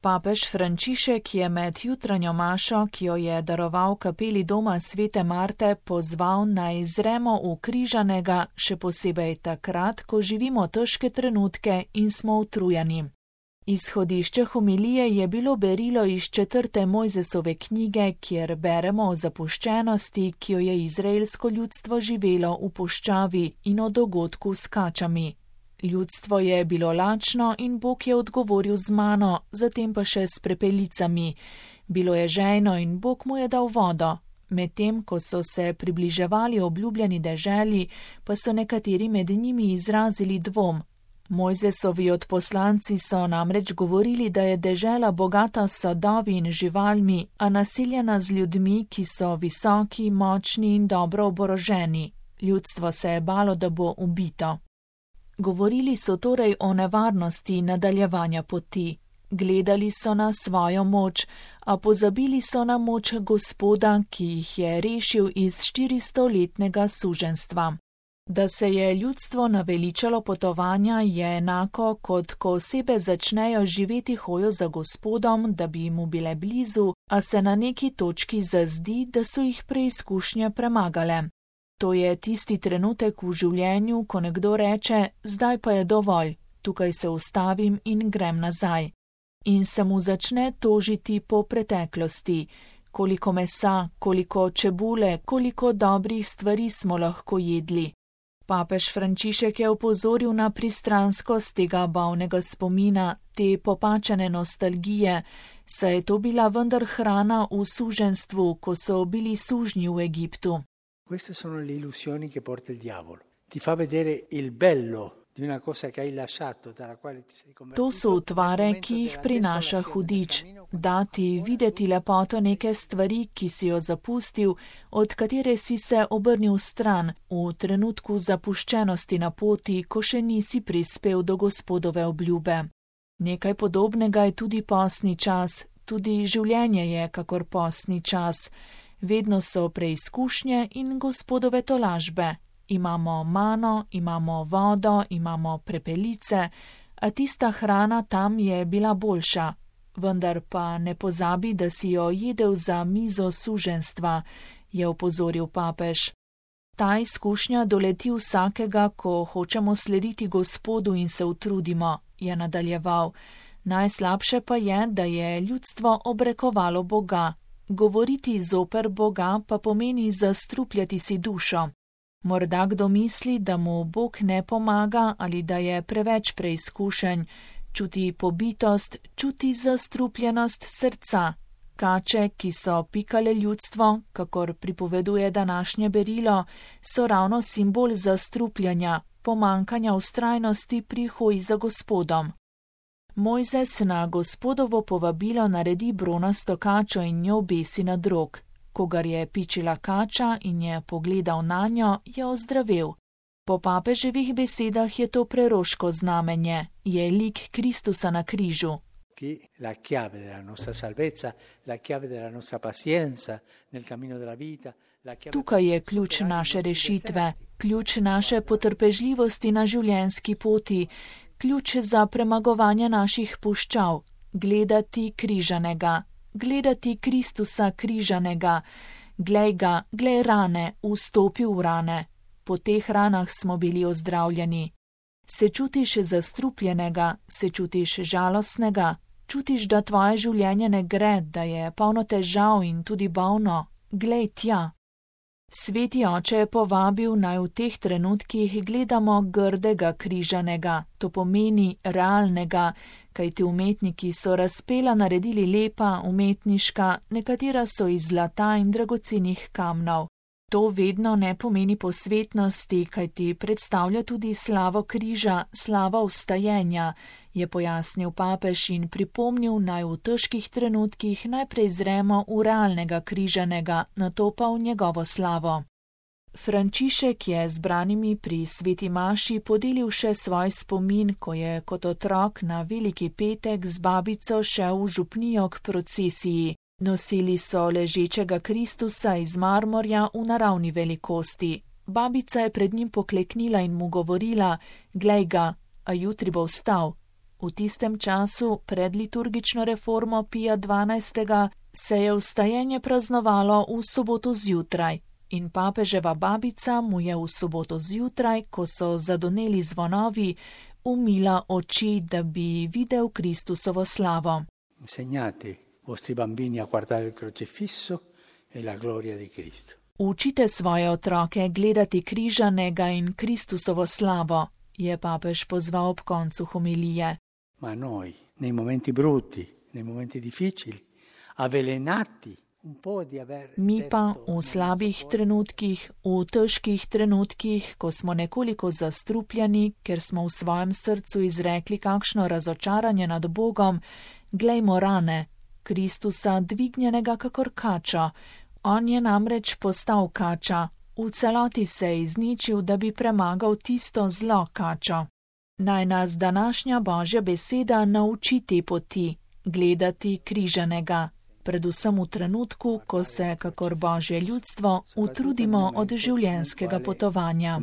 Papež Frančišek je med jutranjo mašo, ki jo je daroval kapeli doma Svete Marte, pozval naj zremo v križanega, še posebej takrat, ko živimo težke trenutke in smo utrujeni. Izhodišče homilije je bilo berilo iz 4. Mojzesove knjige, kjer beremo o zapuščenosti, ki jo je izraelsko ljudstvo živelo v puščavi, in o dogodku s kačami. Ljudstvo je bilo lačno in Bog je odgovoril z mano, zatem pa še s prepelicami. Bilo je žejno in Bog mu je dal vodo. Medtem, ko so se približevali obljubljeni deželi, pa so nekateri med njimi izrazili dvom. Mojzesovi odposlanci so namreč govorili, da je dežela bogata s sadovi in živalmi, a naseljena z ljudmi, ki so visoki, močni in dobro oboroženi. Ljudstvo se je balo, da bo ubito. Govorili so torej o nevarnosti nadaljevanja poti. Gledali so na svojo moč, a pozabili so na moč Gospoda, ki jih je rešil iz 400-letnega suženjstva. Da se je ljudstvo naveličalo potovanja, je enako, kot ko osebe začnejo živeti hojo za Gospodom, da bi mu bile blizu, a se na neki točki zazdi, da so jih preizkušnje premagale. To je tisti trenutek v življenju, ko nekdo reče, zdaj pa je dovolj, tukaj se ustavim in grem nazaj. In se mu začne tožiti po preteklosti, koliko mesa, koliko čebule, koliko dobrih stvari smo lahko jedli. Papež Frančišek je opozoril na pristranskost tega bolnega spomina, te popačene nostalgije, saj je to bila vendar hrana v suženjstvu, ko so bili sužnji v Egiptu. Queste sono le illusioni che porta il diavolo. Ti fa vedere il bello di una cosa che hai lasciato, dalla quale ti sei convertito. To so utvare, ki jih prinaša hudič. Dati videti lepoto neke stvari, ki si jo zapustil, od katere si se obrnil stran, v trenutku zapuščenosti na poti, ko še nisi prispel do Gospodove obljube. Nekaj podobnega je tudi postni čas, tudi življenje je kakor postni čas. Vedno so preizkušnje in Gospodove tolažbe. Imamo mano, imamo vodo, imamo prepelice, a tista hrana tam je bila boljša. Vendar pa ne pozabi, da si jo jedel za mizo suženjstva, je opozoril papež. Ta izkušnja doleti vsakega, ko hočemo slediti Gospodu in se utrudimo, je nadaljeval. Najslabše pa je, da je ljudstvo obrekovalo Boga. Govoriti zoper Boga pa pomeni zastrupljati si dušo. Morda kdo misli, da mu Bog ne pomaga ali da je preveč preizkušenj, čuti pobitost, čuti zastrupljenost srca. Kače, ki so pikale ljudstvo, kakor pripoveduje današnje berilo, so ravno simbol zastrupljanja, pomankanja vztrajnosti pri hoji za Gospodom. Mojzes na Gospodovo povabilo naredi bronasto kačo in njo obesi na drog. Kogar je pičila kača in je pogledal nanjo, je ozdravel. Po papeževih besedah je to preroško znamenje, je lik Kristusa na križu. La chiave della nostra salvezza, la chiave della nostra pazienza nel cammino della vita. Tukaj je ključ naše rešitve, ključ naše potrpežljivosti na življenjski poti, ključ za premagovanje naših puščav, gledati križanega, gledati Kristusa križanega, glej ga, glej rane, vstopi v rane. Po teh ranah smo bili ozdravljeni. Se čutiš zastrupljenega, se čutiš žalostnega, čutiš, da tvoje življenje ne gre, da je polno težav in tudi bolno, glej tja. Sveti oče je povabil, naj v teh trenutkih gledamo grdega križanega, to pomeni realnega, kajti umetniki so razpela naredili lepa, umetniška, nekatera so iz zlata in dragocenih kamnov. To vedno ne pomeni posvetnosti, kajti predstavlja tudi slavo križa, slavo vstajenja, je pojasnil papež in pripomnil, naj v težkih trenutkih najprej zremo v realnega križanega, nato pa v njegovo slavo. Frančišek je zbranimi pri sveti maši podelil še svoj spomin, ko je kot otrok na Veliki petek z babico šel v župnijo k procesiji. Nosili so ležečega Kristusa iz marmorja v naravni velikosti. Babica je pred njim pokleknila in mu govorila, glej ga, a jutri bo vstal. V tistem času, pred liturgično reformo Pija XII., se je vstajenje praznovalo v soboto zjutraj in papeževa babica mu je v soboto zjutraj, ko so zadoneli zvonovi, umila oči, da bi videl Kristusovo slavo. Insegnate vostri bambini a guardare il crocifisso e la gloria di Cristo. Učite svoje otroke gledati križanega in Kristusovo slavo, je papež pozval ob koncu homilije. Ma noi, nei momenti brutti, nei momenti difficili, avvelenati un po' di aver... Mi pa v slabih trenutkih, v težkih trenutkih, ko smo nekoliko zastrupljeni, ker smo v svojem srcu izrekli kakšno razočaranje nad Bogom, glejmo rane, Kristusa dvignjenega kakor kača. On je namreč postal kača, v celoti se je izničil, da bi premagal tisto zlo kačo. Naj nas današnja Božja beseda nauči te poti, gledati križanega, predvsem v trenutku, ko se, kakor Božje ljudstvo, utrudimo od življenjskega potovanja.